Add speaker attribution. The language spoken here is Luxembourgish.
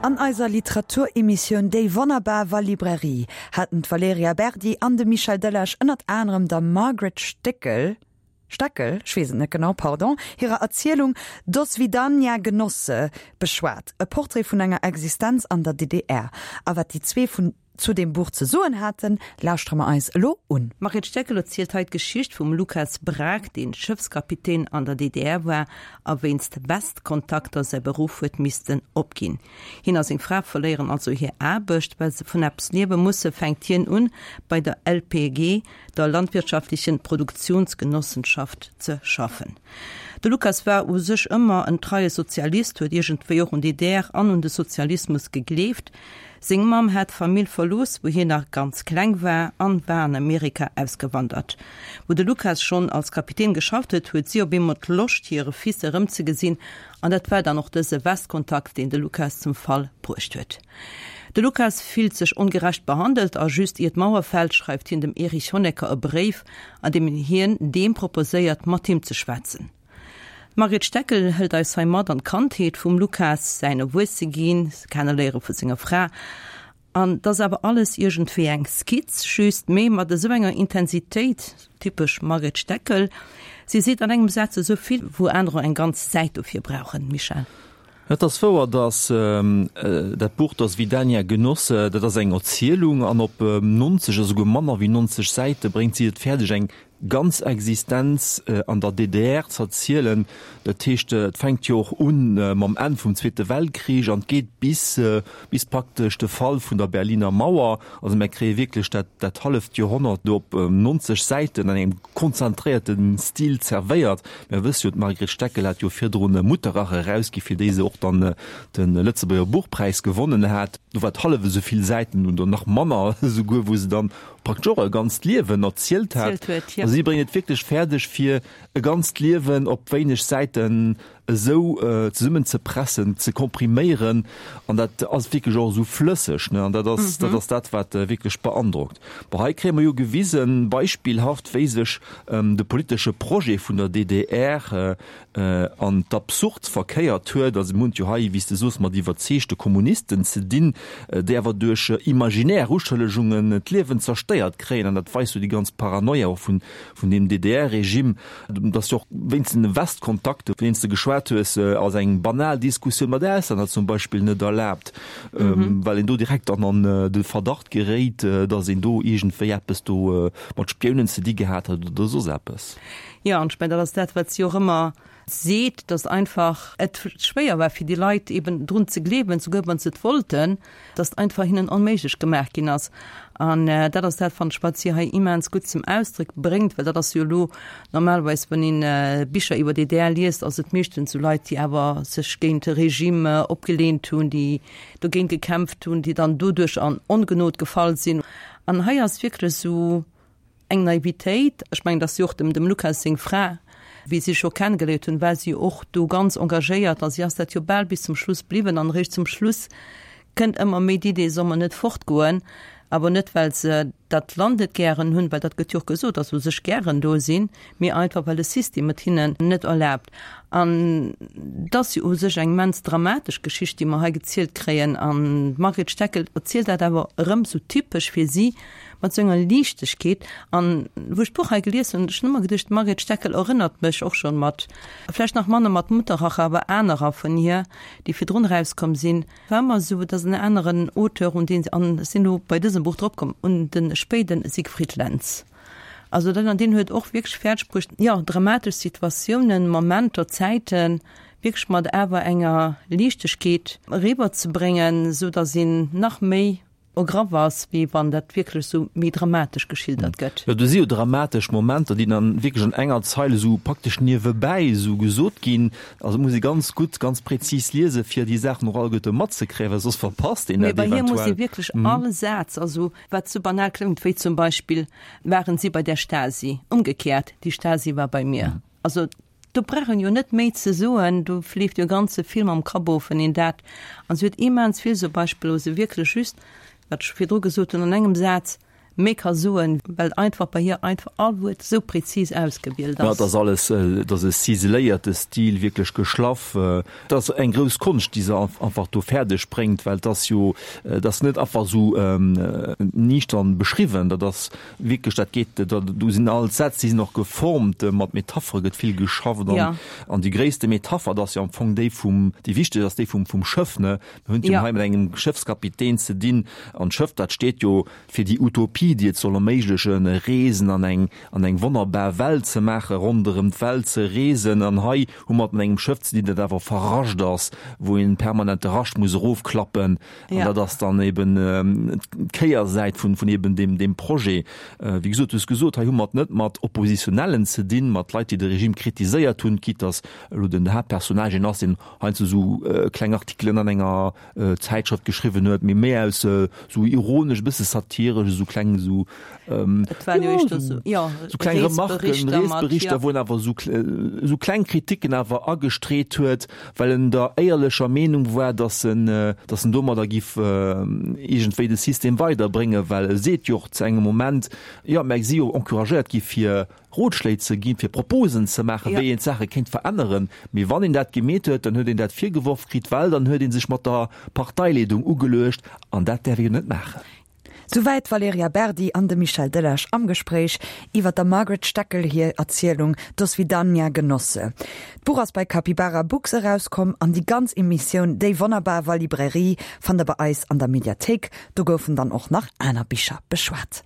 Speaker 1: An eiser Literaturemissioun Déi wonnerbar Wallibrairie haten d'Valerija Berdi an de Michel Delage ënnert anerem der Margaret Stéckel, Steckel, ech weess et net genau, pardon, hirer Erzielung Doswidanja Genosse beschwat, e Portrait vun enger Existenz an der DDR. A wat déi zwee vun zu deem Buch ze soen haten, lauschtere mer eis elo un.
Speaker 2: D'Margret Steckel erzielt hei d'Geschicht vum Lukas Braack, deen Schëffskapitän an der DDR war a wéinst Westkontakter säi Beruff huet missten opginn. Hien a seng Fra verléieren also hir Aarbecht. Well se vun eppes liewe musse, fänkt hien un, bei der LPG, der Landwirtschaftlichen Produktionsgenossenschaft, ze schaffen. De Lukas war u sech ëmmer en treie Sozialist, huet iergendwéi och un d'DDR an un de Sozialismus gegleeft. Seng Mamm hat d'Famill verlooss, wou hien nach ganz kleng war, an war an Amerika ausgewandert. Wou de Lukas schonn als Kapitän geschafft huet, huet si op eemol d'Loscht, hire Fils erëmzegesinn, an dat war dann och dëse Westkontakt, deen de Lukas zum Fall bruecht huet. De Lukas fillt sech ongerecht behandelt, a just ier d'Mauer fält, schreift hien dem Erich Honecker e Bréif, an deem hien deem proposéiert, mat him ze schwätzen. D'Margret Steckel hëlt eis hei mat an d'Kandheet vum Lukas, säin Erwuesseginn, d'Kenneléiere vu senger Fra. An 't ass awer alles iergendwéi eng Skizz, just mee mat esou enger Intensitéit, typesch Margret Steckel. Si seet an engem Saz esou vill, wou anerer eng ganz Säit dofir brauchen. Michèle.
Speaker 3: Et ass wouer, datt dat Buch Das Vidania Genosse, dat ass eng Erzielung an op 90, esouguer manner wéi 90 Säite bréngt si et fäerdeg eng ganz Existenz an der DDR z'erzielen. Dat heescht, et fänkt jo och un mam Enn vum Zweete Weltkrich an et geet bis bis praktesch de Fall vun der Berliner Mauer. Also mär kréie wierklech dat dat halleft Joerhonnert do op 90 Säiten an engem konzentréierte Stil zerwéiert. Mär wësse jo, d'Margret Steckel hat jo virdrun Mutterrache erausgi fir déi se och dann de Lëtzebuerger Buchpräis gewonnen hat. Do war et hallef esou vill Säiten oder nach manner esouguer, wou se dann praktesch och e ganzt Liewen erzielt hat. A si bréngt et wierklech fäerdeg, fir e ganzt Liewen op wéineg Säiten esou zesummenzepressen, ze kompriméieren. An dat ass wierklech och esou flësseg, ne? An dat ass, dat ass dat, wat wierklech beandrockt. Bon, hei kréie mer jo gewisen, beispillhaft, wéi sech de politesche Projet vun der DDR an d'Absurd verkéiert huet. Also mir hunn et jo hei, wéi s de soos, mat iwwerzeegte Kommunisten ze dinn, déi awer duerch imaginär Uschëllegungen d'Liewen zerstéiert kréien. An dat weist jo déi ganz Paranoia och vun vun deem DDR-Regime. Et ass jo och wéinst den Westkontakten, vun deenen s de geschwat hues, ass eng banal Diskussioun mat Auslänner zum Beispill net erlaabt, well een do direkt dann an de Verdacht geréit, datt een do iergendwéi eppes do mat Spiounen ze di gehat huet oder soss eppes.
Speaker 2: Jo, an ech mengen, dat ass dat, wat si och ëmmer seet, datt einfach et schwéier war fir déi Leit eben drun ze gleewen, souguer wa se et wollten, datt einfach hinnen onméiglech gemaach ginn ass. An dat ass dat, fannen ech, wat si hei immens gutt zum Ausdréck bréngt, well dat ass jo elo normalerweis, wann een Bicher iwwer DDR liest, ass et meeschtens esou Leit, déi awer sech géint de Regime opgeleent hunn, déi dogéint gekämpft hunn, déi dann doduerch an Ongenod gefall sinn. An hei ass wierklech esou, Eng Naivitéit, ech mengen, dass si och dem dem Lukas seng Fra, wéi si sech och kennegeléiert hunn, war si och do ganz engagéiert a si ass dat jo bal bis zum Schluss bliwwen an eréischt zum Schluss kënnt ëmmer méi d'Idee, soll mer net fortgoen, awer net well se dat Land net gären hunn, well dat gëtt jo och gesot, dass se u sech gären do sinn, mee einfach well de System et hinnen net erlaabt. An et ass jo u sech eng immens dramatesch Geschicht, déi mer hei gezielt kréien an d'Margret Steckel erzielt dat awer erëm sou typesch fir si, Mat sou enger Liichtegkeet. An wou ech d'Buch hei gelies hunn, ech hunn ëmmer geduecht, d'Margret Steckel erënnert mech och schonn mat, vläicht nach manner mat Mutterrache, awer anerer vun hir, déi virdrun erauskomm sinn, war ëmmer esou, et ass en aneren Auteur, un deen, an ech sinn elo bei dësem Buch drop komm, un de spéide Siegfried Lenz. Also dat, an deen huet och wierklech fäerdeg bruecht, jo, dramatesch Situatiounen, Momenter, Zäiten wierklech mat awer enger Liichtegkeet eriwwerzebréngen, esou datt een nach méi Ergraff ass, wéi wann dat wierklech esou méi dramatesch geschildert gëtt.
Speaker 3: Jo, do si jo dramatesch Momenter, déi dann wierklech an enger Zeil esou praktesch niewebäi esou gesot ginn. Also et muss ee ganz gutt, ganz präzis liesen, fir déi Saachen och alleguerte matzekréien, well soss verpasst een
Speaker 2: dat eventuell. Mee bei hir muss ee wierklech all Saz, also wat sou banal kléngt, wéi zum Beispill, Waren Sie bei der Stasi? Umgekehrt, Die Stasi war bei mir. Also Do brauch een jo net méi ze soen, do fleeft jo e ganze Film am Kapp of, wann een dat, an se huet immens vill sou Beispiller, wou se wierklech just, wat ech virdru gesot hunn, an engem Saz. Méi ka soen, well einfach bei hir einfach all Wuert esou präzis ausgewielt
Speaker 3: ass. Jo, et ass alles, et ass e ciseléierte Stil, wierklech geschlaff. Et ass eng grouss Konscht, déi se einfach do fäerdeg bréngt, well et ass jo, et ass net einfach esou niichtern beschriwwen, dat ass wierklech, dat geet, do sinn all d'Sätz, déi sinn och geformt, mat Metaphere gëtt vill geschafft an, an déi gréisste Metapher, dat ass jo am Fong déi vum, déi wichteg ass déi vum, vum Schëff, ne. Mir hunn et jo hei mat engem Schëffskapitän ze dinn an d'Schëff, dat steet jo fir déi Utopie, déi et soll erméiglechen, Reesen an eng, an eng wonnerbar Welt ze maachen, ronderëm d'Welt ze reesen. An hei hu mer et mat engem Schëff ze dinn, dat awer verrascht ass, wou een permanent de Rascht muss erofklappen. An dat ass dann eben d'Kéiersäit vun, vun eben deem, deem Projet. Wéi gesot, du hues gesot, hei hu mer et net mat Oppositionellen ze dinn, mat Leit, déi de Regime kritiséiert hunn, quitte dass elo den Haaptpersonnage een ass, deen heiansdo esou kleng Artikelen an enger Zäitschrëft geschriwwen huet, mee méi aus esou ironesch, e bësse satiresch, esou kleng esou
Speaker 2: Et waren jo éischter esou, jo,
Speaker 3: esou kleng Remarken, Reesberichter, wou en awer esou esou kleng Kritiken awer agestreet huet, well en der éierlecher Meenung war, datt en, datt en domadder giff iergendwéi de System weiderbréngen, well e seet jo och zu engem Moment, jo, mä si jo encouragéiert gi fir Rotschléi ze ginn, fir Proposen ze maachen, wéi een d'Saache kéint veränneren. Mee wann een dat gemeet huet, dann huet een dat virgeworf kritt, well dann huet ee sech mat der Parteileedung ugeluecht, an dat däerf ee jo net maachen.
Speaker 1: Souwäit d'Valerija Berdi an de Michel Delage am Gespréich iwwer der Margaret Steckel hir Erzielung Doswidanja Genosse. D'Buch ass bei Capybara Books erauskomm an déi ganz Emissioun Déi wonnerbar Walibrairie fannt der bei eis an der Mediathéik. Do goufen dann och nach aner Bicher beschwat.